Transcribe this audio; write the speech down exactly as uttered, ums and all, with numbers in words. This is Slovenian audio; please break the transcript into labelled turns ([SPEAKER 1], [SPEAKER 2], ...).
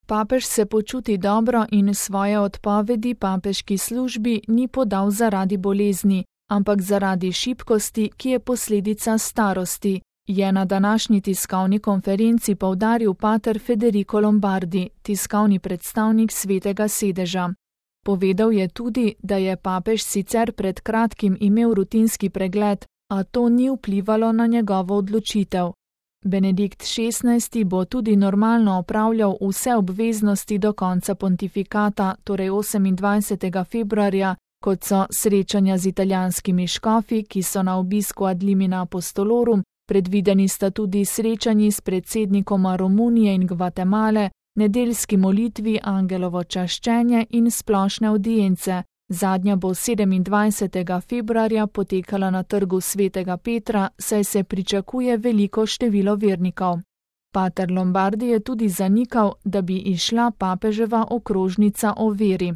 [SPEAKER 1] Papež se počuti dobro in svoje odpovedi papeški službi ni podal zaradi bolezni, ampak zaradi šibkosti, ki je posledica starosti, je na današnji tiskovni konferenci poudaril pater Federico Lombardi, tiskovni predstavnik Svetega sedeža. Povedal je tudi, da je papež sicer pred kratkim imel rutinski pregled, a to ni vplivalo na njegovo odločitev. Benedikt šestnajsti bo tudi normalno opravljal vse obveznosti do konca pontifikata, torej osemindvajsetega februarja, kot so srečanja z italijanskimi škofi, ki so na obisku ad limina apostolorum, predvideni sta tudi srečanji s predsednikoma Romunije in Gvatemale, nedeljski molitvi, angelovo čaščenje in splošne avdience. Zadnja bo sedemindvajsetega februarja potekala na trgu Svetega Petra, saj se pričakuje veliko število vernikov. Pater Lombardi je tudi zanikal, da bi izšla papeževa okrožnica o veri.